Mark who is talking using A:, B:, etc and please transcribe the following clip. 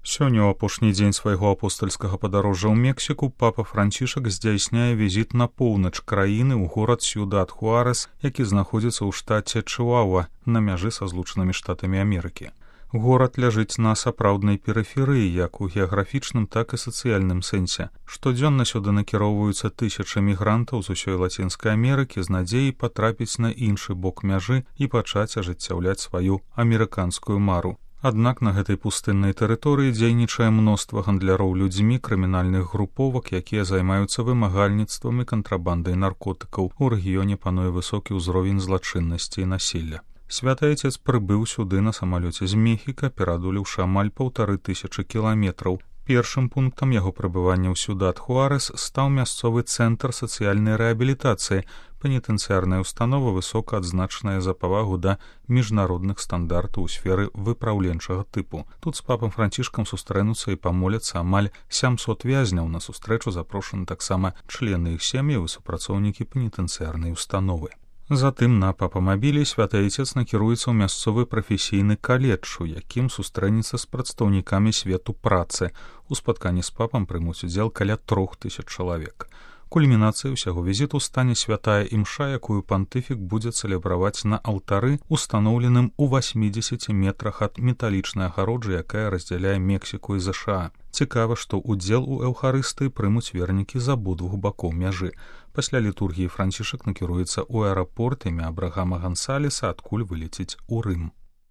A: Сёння ў апошні дзень свайго апостальскага падарожжа ў Мексіку папа Францішак здзяйсняе візіт на поўнач краіны ў горад Сьюдад-Хуарес, які знаходзіцца ў штаце Чыуауа на мяжы са Злучанымі Штатамі Амерыкі. Горад ляжыць на сапраўднай перыферыі, як у геаграфічным, так і сацыяльным сэнсе. Штодзённа сюды накіроўваюцца тысячы мігрантаў з усёй Лацінскай Амерыкі з надзеяй патрапіць на іншы бок мяжы і пачаць ажыццяўляць сваю амерыканскую мару. Аднак на гэтай пустыннай тэрыторыі дзейнічае мноства гандляроў людзьмі, крымінальных груповак, якія займаюцца вымагальніцтвам і кантрабандай наркотыкаў. У рэгіёне пануе высокі ўзровень злачыннасці і насілля. Святы Айцец прыбыў сюды на самалёце з Мехіка, пераадолеўшы амаль 1500 кіламетраў. Першым пунктам яго прыбывання ў Сьюдад-Хуарес стаў мясцовы цэнтр сацыяльнай рэабілітацыі, пенітэнцыярная установа, высока адзначаная за павагу да міжнародных стандартаў у сферы выпраўленчага тыпу. Тут з папам Францішкам сустрэнуцца і памоляцца амаль 700 вязняў. На сустрэчу запрошаны таксама члены іх сем'яў і супрацоўнікі пенітэнцыярнай установы. Затым на папамабілі святы Айцец накіруецца ў мясцовы прафесійны каледж, у якім сустрэнецца з прадстаўнікамі свету працы. У спатканні з папам прымуць удзел каля 3000 чалавек. Кульмінацыяй усяго візіту стане святая імша, якую пантыфік будзе цэлебраваць на алтары, устаноўленым у 80 метрах ад металічнай агароджы, якая раздзяляе Мексіку і ЗША. Цікава, што ўдзел у эўхарыстыі прымуць вернікі з абодвух бакоў мяжы. Пасля літургіі Францішак накіруецца ў аэрапорт імя Абрагама Гансалеса, адкуль вылеціць у Рым.